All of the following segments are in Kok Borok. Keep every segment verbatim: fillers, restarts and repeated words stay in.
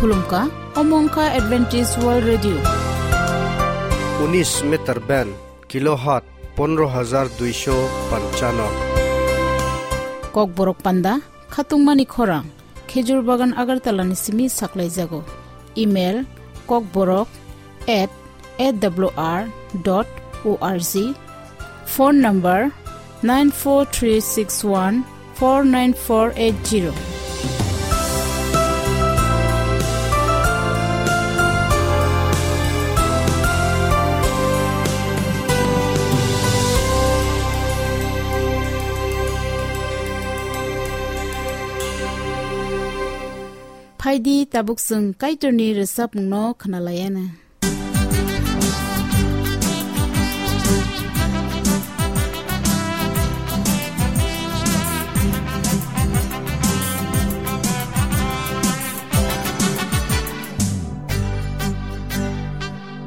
Khulumkha, omo wngkha Adventist World Radio. Unis meter band, kilohertz pondro hajar duisho panchano. Kokborok panda, khatungmani khorang, Khejur Bagan Agartala ni simi saklaijago. Email, kokborok at A W R dot O R G. Phone number, nine four three six one four nine four eight zero. Phaidi, tabuk chwng Kaitorni rwchapmungno khwnalaiana.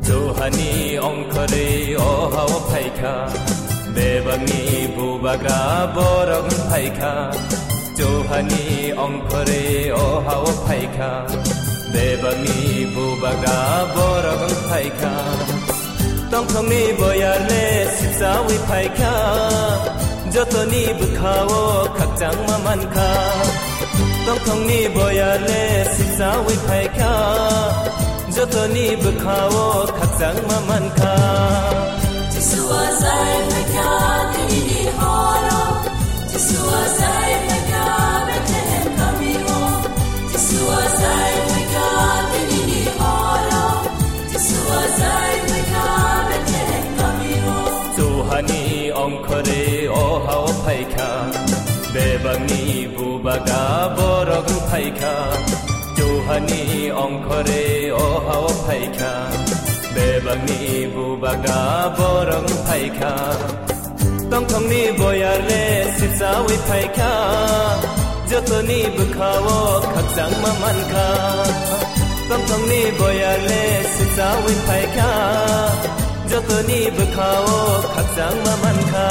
Johani ongkhorwi o hao phaikha, bebakni bubagra borok phaikha. Johani ongkhorwi o hao phaikha, bebakni bubagra borok phaikha. Tongthokni boyarle sipsawi phaikha, jotoni bwkhao khakchangma mankha. Tongthokni boyarle sipsawi phaikha, jotoni bwkhao khakchangma mankha. Jisua zai phaikha, tini ni horo. Jisua zai phaikha, Bethlehem kamio. Jisua zai phaikha, tini ni horo. Jisua zai phaikha, Bethlehem kamio. Johani ongkhorwi o hao phaikha, bebakni bubagra borok phaikha. Johani ongkhorwi o hao phaikha, bebakni bubagra borok phaikha. Tongthokni boyarle sipsawi phaikha, jotoni bwkhao khakchangma mankha. Tongthokni boyarle sipsawi phaikha, jotoni bwkhao khakchangma mankha.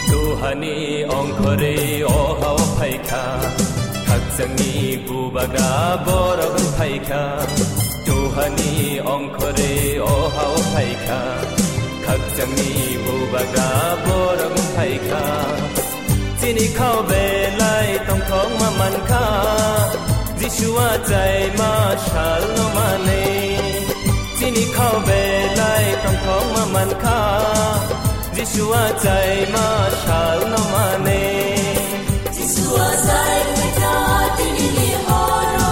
Johani ongkhorwi o hao phaikha, khakchangni bubagra borok phaikha. Johani ongkhorwi o hao phaikha, khakchangni bubagra borok phaikha. Chini khao belai tongthokma mankha, Jisua chaima salno manwi. Chini khao belai tongthokma mankha, Jisua chaima salno manwi. Jisua zai phaikha tini ni horo.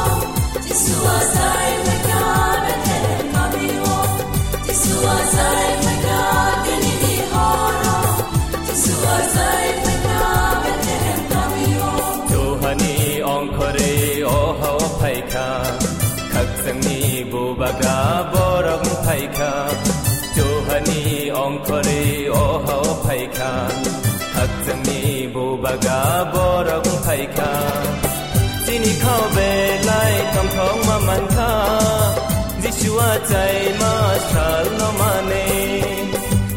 Jisua zai phaikha Bethlehem kamio. Jisua zai phaikha tini ni horo. Jisua zai phaikha Bethlehem kamio. Johani ongkhorwi o hao phaikha, khakchangni bubagra borok phaikha. Johani ongkhorwi o hao phaikha, khakchangni bubagra borok phaikha. Chini khao belai tongthokma mankha, Jisua chaima salno manwi.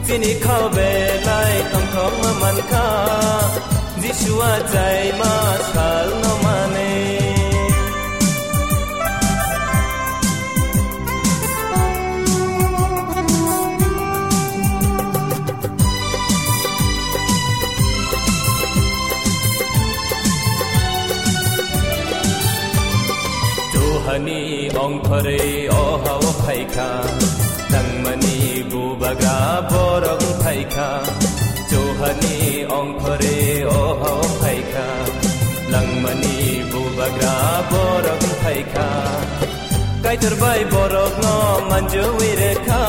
Chini khao belai tongthokma mankha, Jisua chaima salno manwi. Johani ongkhorwi o hao phaikha, langmani bubagra borok phaikha. Johani ongkhorwi o hao phaikha, langmani bubagra borok phaikha. Kaitor bai borokno manjui rekha,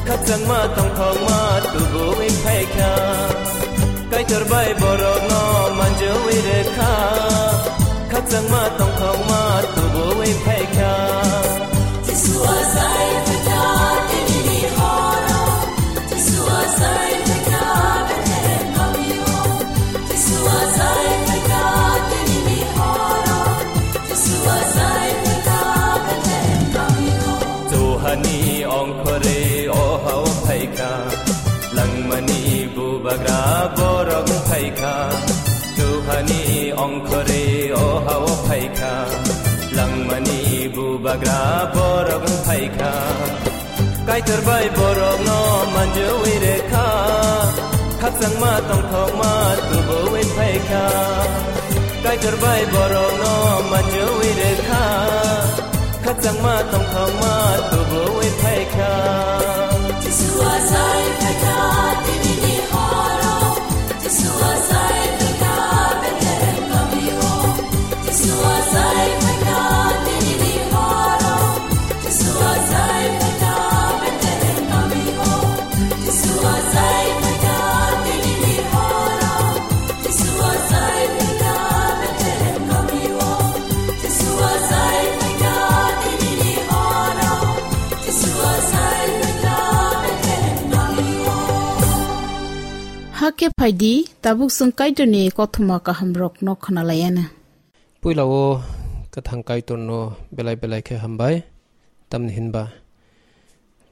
khakchangma tongthokma tubuwi phaikha. Kaitor bai borokno manjui rekha, khakchangma tongthokma tubuwi phaikha. Jisua zai phaikha tini ni horo. Jisua zai phaikha Bethlehem kamio. Jisua zai phaikha tini ni horo. Jisua zai Borok wng phaikha, duhani ongkhorwi o hao phaikha, langmani bubagra borok wng phaikha. Kaitor bai borokno manjui rekha, khakchangma tongthokma tubuwi phaikha. Kaitor bai borokno manjui rekha, khakchangma tongthokma tubuwi phaikha. Jisua sai phaikha, tinini horo. Jisua sai phaikha, Bethlehem kamio. Jisua sai phaikha, tinini horo. Jisua sai phaikha, Bethlehem kamio. Jisua sai phaikha, tinini horo. Hakhe phaidi, tabuk chwng Kaitorni kothoma kahamrokno khwnalaianw. Puila o kwthang Kaitorno belai belai khe hambai, tamni hinba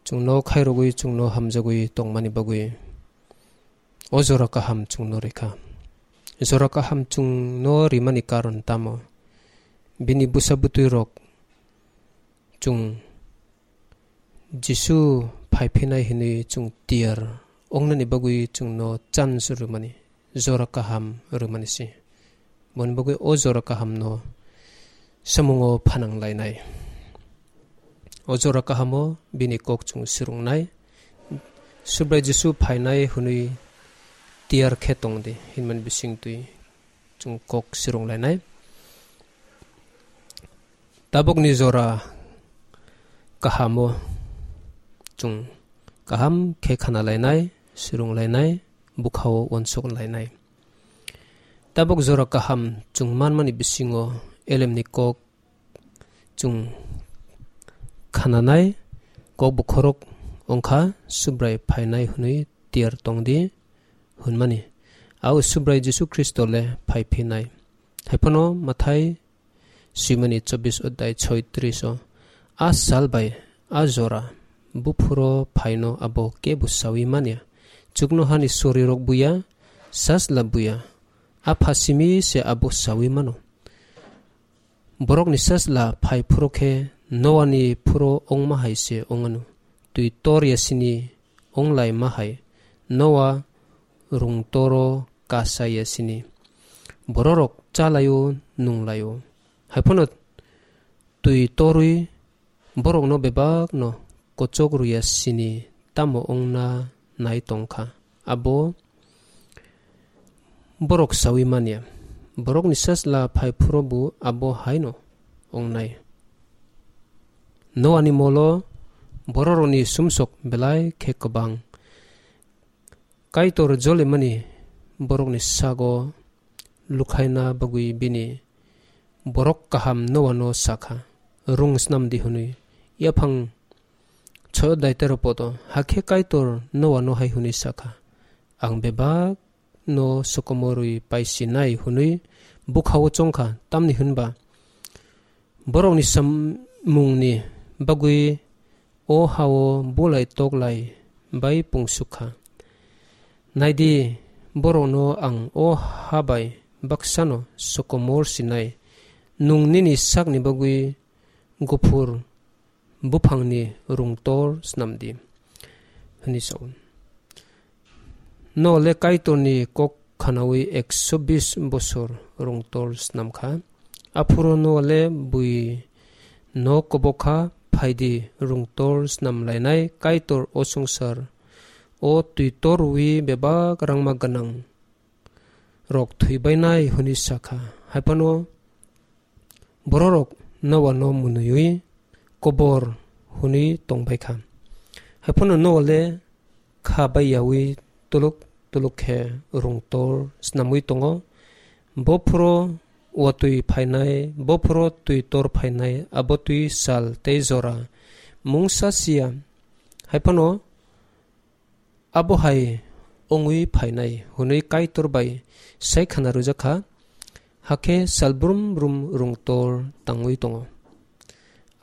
chwngno khairogwi, chwngno hamjagwi tongmani bagwi. O jora kaham chwngno rikha. Jora kaham chwngno rimani karon tamo? Bini bwsa bwtwi rok chwng Jisu phaiphinai hinwi chwng tiyar ongnani bagwi chwngno chance rwmani, jora kaham rwmani se. Boni bagwi o jora kahamno samungo phanang lainai. O jora kahamo bini kok chwng swrwngnai. Subrai Jisu phainai hwnwi tiyar khe tong di hinmani bisingtwi chwng kok swrwng lainai. Tabukni jora kahamo chwng kaham khe khana lainai, swrwng lainai, bwkhao uansuk lainai. Tabuk jora kaham chwng manmani bisingo elemni kok chwng khananai, kok bokhorok wngkha Subrai phainai hwnwi tiyar tong di hwnmani. Ao Subrai Jisu Khristo le phai phinai. Haiphano Mathai swimani chobbish odhyay choitris o, a sal bai a jora buphuro phaino abo kebo sawi manya. Chuknohani sorirok buya, sajla buya, a pha simi se abo sawi mano. Borokni sajla phai phuro khe Noani phuro ongma hai se ongano. Twi tor ya sini onglai ma hai Noa rung toro kasa ya sini. Bororok chalaio, nunglaio. Haiphano twi torwi borokno bebakno kochok rwya sini tamo wngna nai tongkha. Abo borok sawi manya. Borokni sajla phai phuro bo abo haino wngnai. Noani molo bororokni sumsok belai khe kwbang. Kaitor jolimani borokni sago lukhaina bagwi bini borok kaham Noano sakha, "Rung snam di," hwnwi. Yaphang choi odhyay tero podo, hakhe Kaitor Noano hai hwnwi sakha, "Ang bebak no sokomorwi paisinai," hwnwi bwkhao chongkha, tamni hwnba borokni samungni bagwi o hao bulai toklai bai pungsuk kha. Naidi, borokno ang o ha bai baksano sokomor sinai, nwng nini sakni bagwi guphur buphangni rungtor snam di, hwnwi sa-o. Noa le Kaitorni kok khanaui ekso bis bosor rungtor snam kha. Aphuru Noa le bui no kobok kha, "Phai di, rungtor snam lainai Kaitor o swngchar o twi torwi bebak rangma gwnang rok thwi bainai," hwnwi sa kha. Haiphano bororok Noa no mwnwiwi kobor hwnwi tong bai kha. Haiphano Noa le kha bai yaui tuluk tuluk khe rungtor snamwi tongo. Bo phuro watwi phainai, bo phuro twi tor phainai, abo twi sal tei jora mungsa siya. Haiphano abo hai wngwi phainai hwnwi Kaitor bai sai khana rwjak kha, hakhe sal brum brum rungtor tangwi tongo.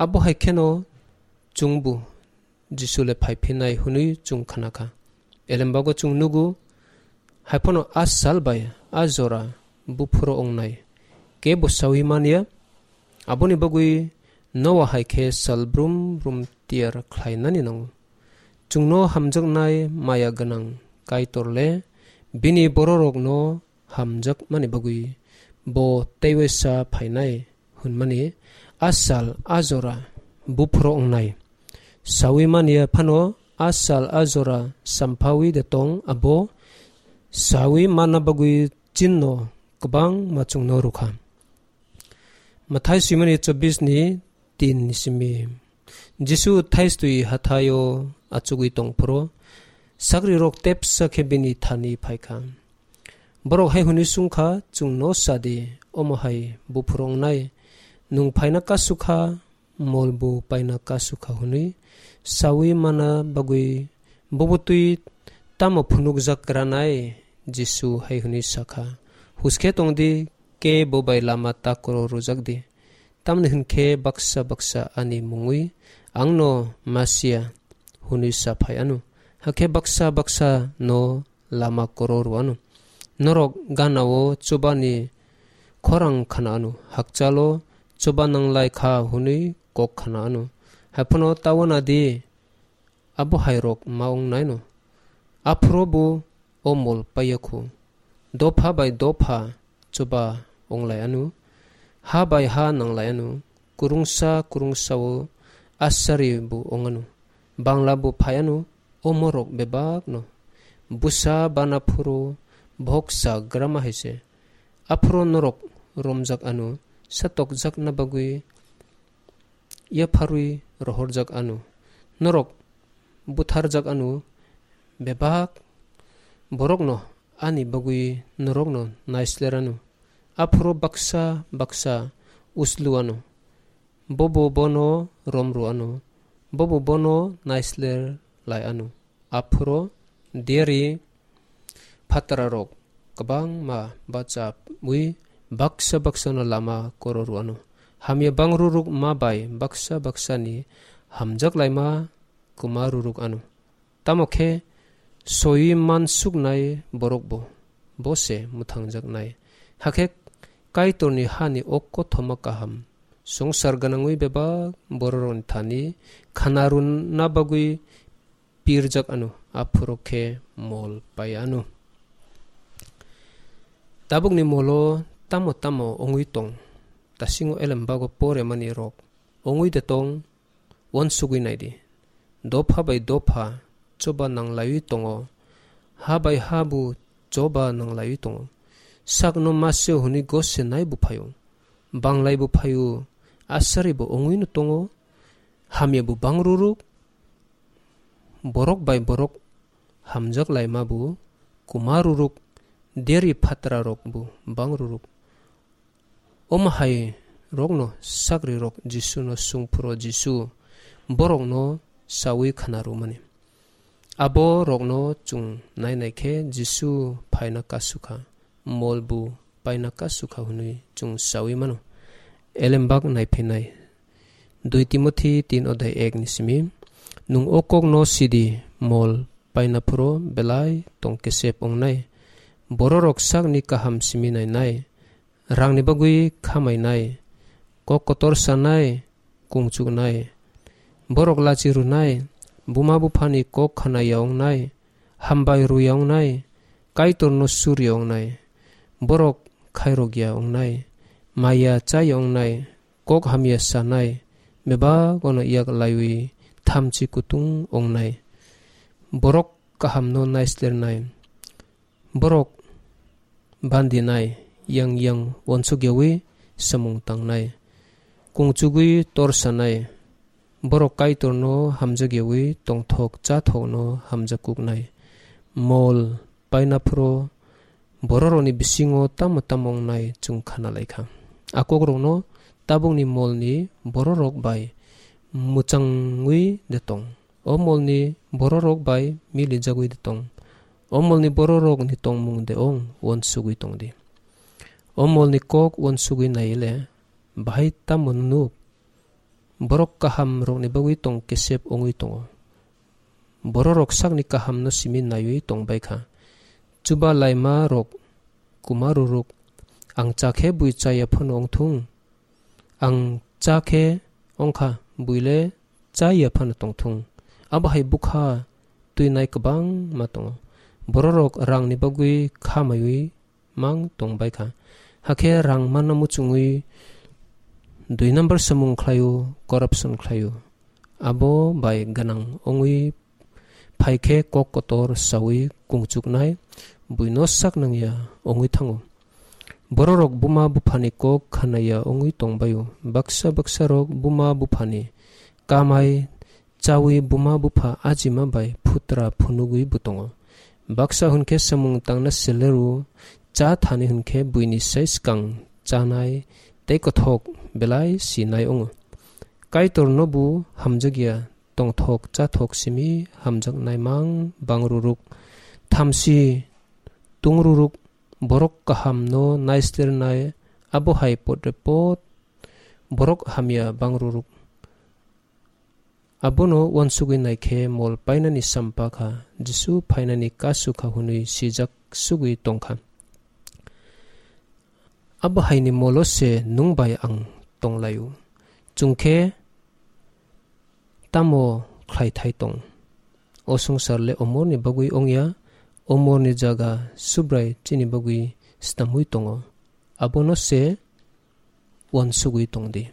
Abo hai kheno chwngbo Jisu le phai phinai hwnwi chwng khna kha. Elembago chwng nugo, Hai phano a sal bai a jora buphuru wngnai kebo saui man ya. Aboni bagwi Noa hai khe sal brum brum tiyar khlainani nango. Chwngno hamjaknai maya gwnang Kaitor le bini bororokno hamjakmani bagwi bo teiwaisa phainai hwnmani a sal a jora buphuru wngnai. Saui man ya phano a sal a jora samphaui de tong abo saui manna bagwi chinno kwbangma chwngno rwkha. Mathai swimani chobbish ni tin ni simi. Jisu thaistwi hathaio achugwi tongphuru sakrirok tepsa khe bini thani phaikha. Borok hai hwnwi swngkha, "Chwngno sa di, omo hai buphuru wngnai, nwng phaina kasu kha, mol bo paina kasu kha," hwnwi saui mana bagwi bobo twi tamo phunukjak ranai? Jisu hai hwnwi sakha, "Huskhe tong di, kebo bai lama takoro rwjak di. Tamni hwn khe baksa baksa ani mungwi angno Masia hwnwi sa phai anw, hakhe baksa baksa no lama koro rw anw. Norok gana-o chubani khorang khna anw, hakchalo chuba nanglai kha hwnwi kok khna anw. Hai phano ta uana di, abo hai rok ma wng nai no. Aphuru bo o mol paiya khu. Dopha bai dopha chuba wng lai anw, ha bai ha nang lai anw, kwrwngsa kwrwngsa-o asari bo wng anw, bangla bo phai anw, omo rok bebak no. Bwsa bana phuru bohok sa grama hai se. Aphuru norok romjak anw, satokjakna bagwi yapharwi rohorjak anw. Norok butharjak anw, bebak borokno ani bagwi norokno naisler anw. Aphuru baksa baksa uslu anw, bobo bono romrw anw, bobo bono naisler lai anw. Aphuru diari phatrarok kwbangma bachaui baksa baksano lama koro rw anw. Hamya bangruruk ma bai baksa baksani hamjak laima kwma ruruk anw. Tamo khe soi mansuknai borok bo, bo se mwthangjaknai. Hakhe Kaitorni hani o kothoma kaham swngchar gwnangwi bebak bororokni thani khana rwna bagwi pirjak anw, aphuru khe mol pai anw. Tabukni molo tamo tamo wngwi tong, tasingo elembago poremani rok wngwi de tong, uansugwi nai di. Dopha bai dopha choba nanglaiwi tongo, ha bai ha bo choba nanglaiwi tongo. Sakno masio hwnwi gose nai bo phaio, banglai bo phaio, asari bo wngwi no tongo, hamya bo bangruruk, borok bai borok hamjak laima bo kwma ruruk, deri phatra rok bo bang ruruk. Omo hai rokno sakri rok Jisu no sung phuro Jisu borok no saui khna rwmani. Abo rok no chwng nai nai khe Jisu phaina kasukha, mol bo paina kasukha hwnwi chwng saui mano. Elembak naiphinai dui Timothi tin odhai ek ni simi, nwng o kok no sidi, mol paina phuro belai tong kesep wngnai. Bororok sakni kaham simi nainai, rangni bagwi khamainai, kok kotor sanai, kungchuknai. Borok lachi rwnai, buma buphani kok khanaya wngnai, hambai rwya wngnai, Kaitorno surya wngnai. Borok khairokya wngnai, maya chaya wngnai, kok hamya sanai, bebak ono yak laiwi thamchi kutung wngnai. Borok kahamno naislernai. Borok bandinai, yang yang uansukyawi samung tangnai, kungchugwi tor sanai, borok Kaitorno hamjakyawi tongthok chathokno hamjakuknai. Mol paina phuro bororokni bisingo tamo tamo wngnai chwng khana laikha. A kokrokno tabukni molni bororok bai mwchangwi de tong. O molni bororok bai milijagwi de tong. O molni bororokni tongmung de ong uansugwi tong di. O molni kok uansugwi naile bahai tamo nuk? Borok kaham rokni bagwi tong kesep wngwi tongo. Bororok sakni kahamno simi naiwi tong bai kha. Chuba laima rok kuma ruruk, ang cha khe bui chaya phano ongthung, ang cha khe ongkha, bui le chaya phano tongthung. Abo hai bwkha twi nai kwbangma tongo. Bororok rangni bagwi kha maiwi mang tong bai kha. Hakhe rang manna muchungwi dui number samung khlaio, corruption khlaio. Abo bai gwnang wngwi phai khe kok kotor saui kungchuknai buino sak nangya wngwi thango. Bororok buma buphani kok khanaya wngwi tong baio. Baksa baksa rok buma buphani kamai chawi buma bupha ajima bai phutra phunugwi bo tongo. Baksa hwn khe samung tangna seleru cha thani hwn khe buini sai swkang chanai tei kothok belai sinai wngo. Kaitorno bo hamjakya, tongthok chathok simi hamjaknai mang bang ruruk. Thamsi tung ruruk, borok kahamno naisternai, abo hai potrepot borok hamya bang ruruk. Abono uansugwi nai khe mol painani sampakha, Jisu phainani kasu kha hwnwi sijak sugwi tongkha. Abo haini molo se nwng bai ang tonglaio. Chwng khe tamo khlai thai tong? O swngchar le omorni bagwi wngya, omorni jaga Subrai chini bagwi stamwi tongo. Abono se uansugwi tong di.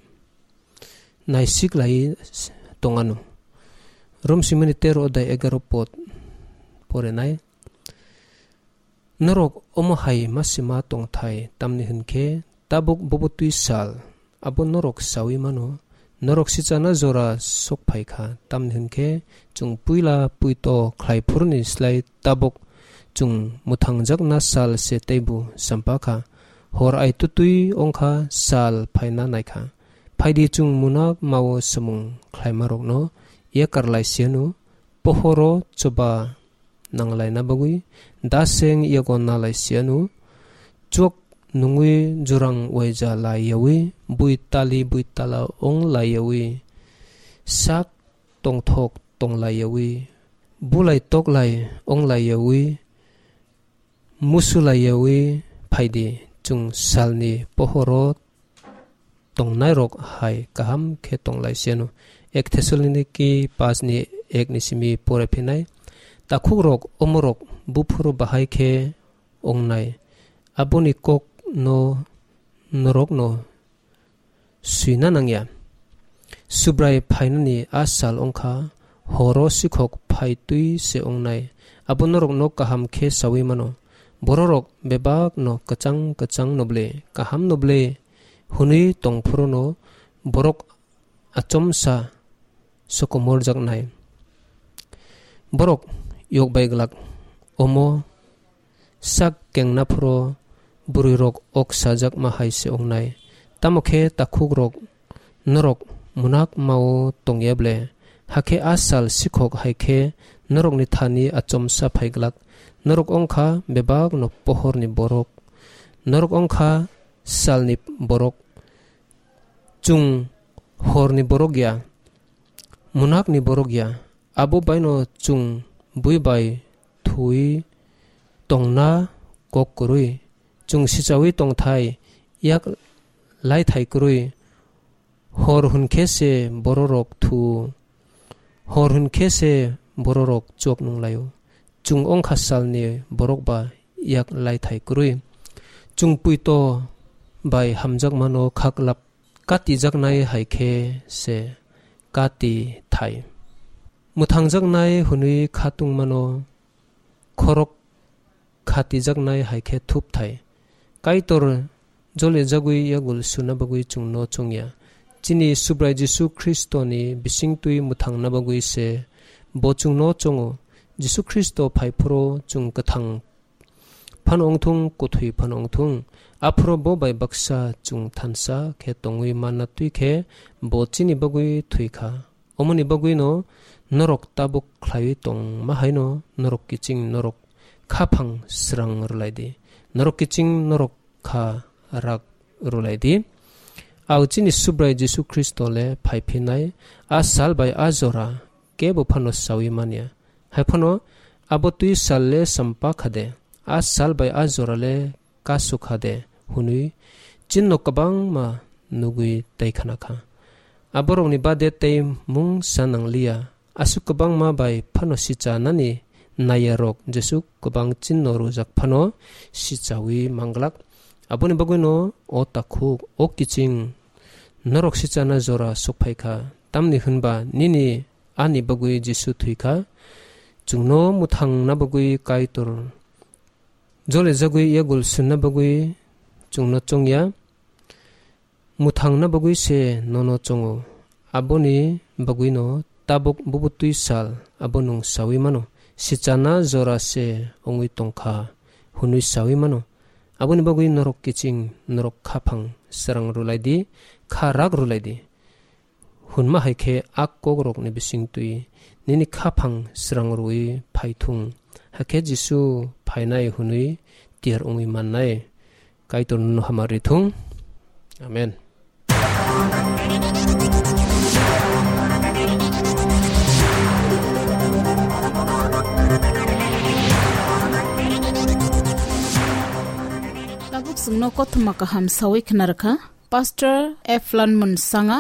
Naisik lai tong ano. Rom simani tero odai egaro pod porenai. Norok omo hai ma sima tongthai, tamni hwn khe tabuk bubutwi sal, abo norok saui mano. Norok sichana jora sok phai kha, tamni hwn khe chwng puila puito khlai phuruni slai tabuk chwng mwthangjakna sal se teibo champa kha. Hor ai tutui wng kha, sal phaina nai kha. Phaidi chwng munak mao samung khlaimarokno yakar lai siyanu, pohoro choba nanglaina bagwi daseng yago nalai siyanu, chuak nungwi jurang waija lai yawi, bui tali bui tala wng lai yawi, sak tongthok tong lai yawi, bulai tok lai wng lai yawi, musu lai yawi phaidi, chwng salni pohoro tongnairok hai kaham khe tong lai siyanu. Ek Thessaloniki paanch ni ek ni simi pore phinai. Takhukrok, omorok buphuru bahai khe wngnai. Aboni kok no norokno swina nangya. Subrai phainani a sal wngkha, horo sikhok phai twi se wngnai. Abo norokno kaham khe saui mano. Bororok bebakno kwchang kwchang noble, kaham noble hwnwi tong phuru no borok achomsa sokomorjaknai. Borok yok bai glak, omo sak kengna phuru bwrwirok ok sajakma hai se wngnai. Tamo khe takhukrok, norok munak mao tongya ble? Hakhe a sal sikhok hai khe norokni thani achomsa phai glak. Norok wngkha bebakno pohorni borok. Norok wngkha salni borok. Chwng horni borok ya, munakni borok ya. Abo baino chwng bui bai thui tongna kok kwrwi. Chwng sichaui tongthai, yak laithai kwrwi. Hor hwn khe se bororok thu, hor hwn khe se bororok chuak nung laio. Chwng wngkha salni borok ba yak laithai kwrwi. Chwng puito bai hamjakmano khaklap katijaknai hai khe se kati thai. Mwthangjaknai hwnwi khatungmano khorok khatijaknai hai khe thup thai. Kaitor jolijagwi yagul suna bagwi chwngno chongya. Chini Subrai Jisu Khristoni bisingtwi mwthangna bagwi se bo chwngno chongo. Jisu Khristo phai phuru chwng kwthang phano wngthung, kwthwi phano wngthung, aphuru bo bai baksa chwng thansa khe tongwi manna twi khe bo chini bagwi thwi kha. Omoni bagwino norok tabuk khlaiwi tongma haino norok kiching norok khaphang srang rwlai di. Norok kiching norok kha rak rwlai di. Au chini Subrai Jisu Khristo le phai phinai, a sal bai a jora kebo phano saui manya. Hai phano abo twi sal le sampa kha de, a sal bai a jora le kasuk kha de hwnwi chinno kwbangma nugwi tei khna kha. Aborokni bade tei mungsa nangliya, aswk kwbangma bai phano sichanani naiyarok jesuk kwbang chinno rwjak phano sichawi manglak. Aboni bagwino o takhuk, o kiching, norok sichana jora sokphai kha, tamni hwnba nini ani bagwi Jisu thwi kha. Chwngno mwthangna bagwi Kaitor jole jagwi yagul sunna bagwi chwngno chongya, mwthangna bagwi se nono chongo. Aboni bagwino tabuk bubutwi sal abo nwng sawi mano, sichana jora se wngwi tongkha hwnwi sawi mano. Aboni bagwi norok kiching, norok khaphang srang rwlai di, kha rak rwlai di. Hwnma hai khe a kokrokni bisingtwi nini khaphang srang rwui phai thung. Hakhe Jisu phainai hwnwi tiyar wngwi mannai. Kaitor nono hamari thung. Amen. Tabuk chwngno kothoma kaham sawi khna rwkha Pastor Eflon Munsanga.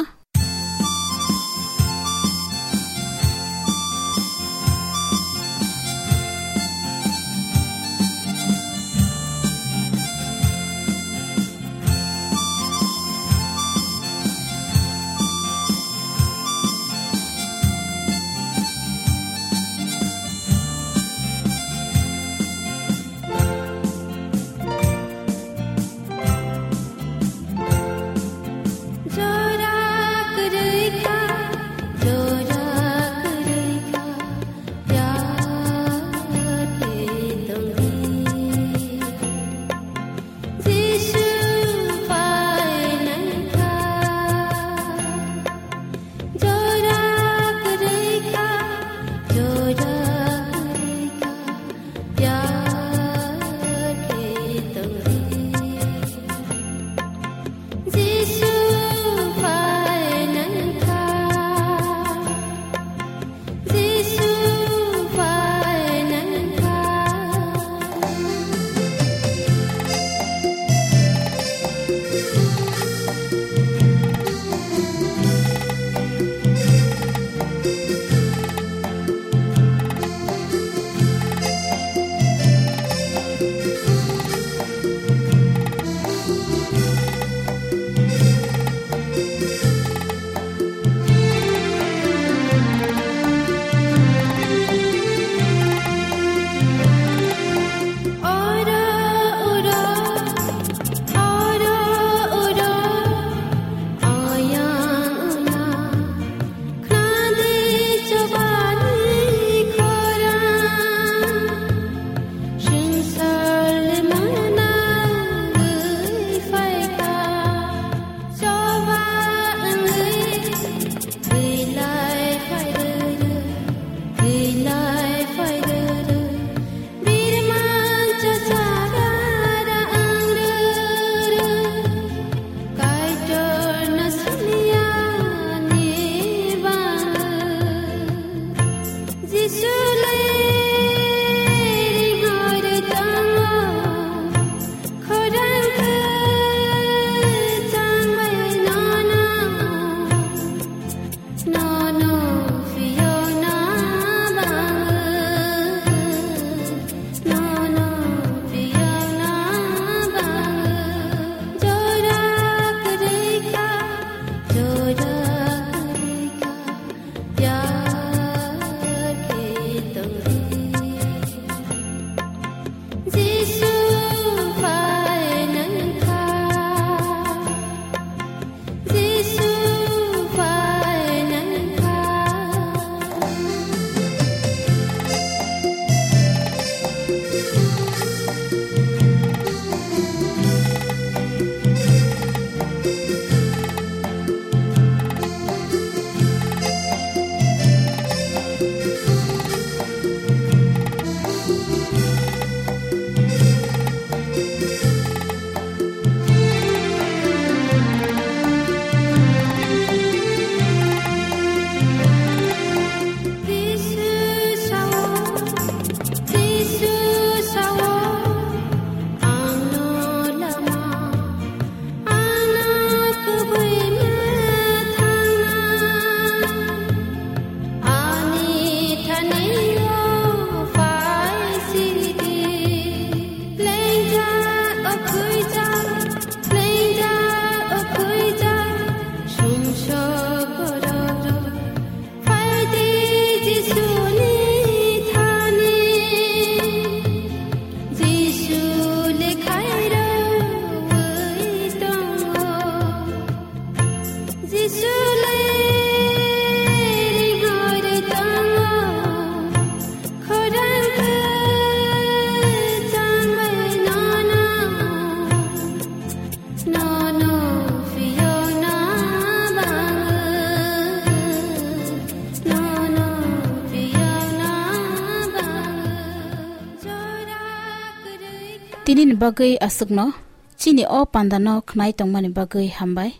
Tinini bagwi aswkno, chini o pandano khnai tongmani bagwi hambai.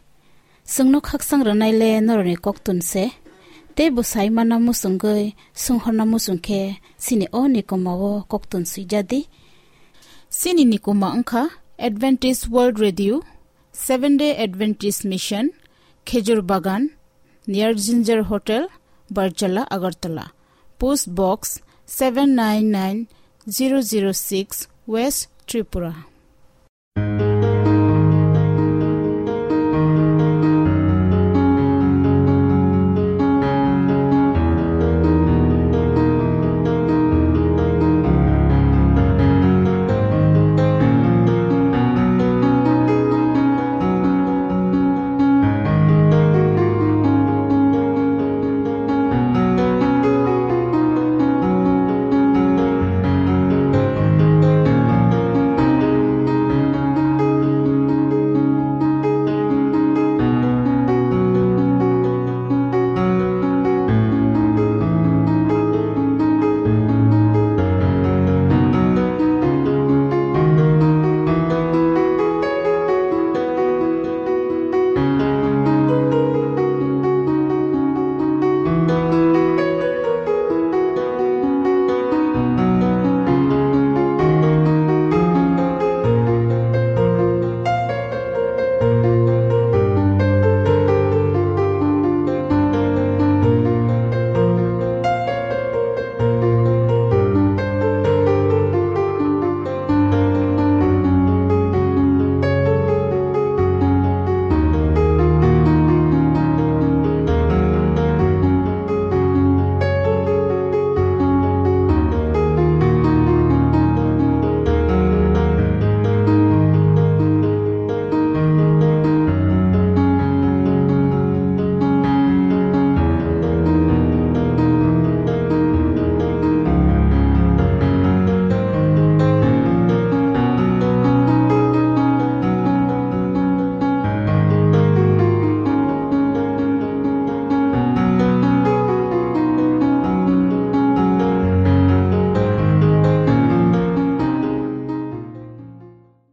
Chwngno khakchang rwnaile norokni koktun se, tei bwsai mana muchungwi swnghorna muchung khe chini o nikomao koktun swijadi. Chini nikoma wngkha Adventist World Radio, Seventh Day Adventist Mission, Khejur Bagan, near Ginger Hotel, Barchala, Agartala. Post Box seven nine nine zero zero six, West Tripura.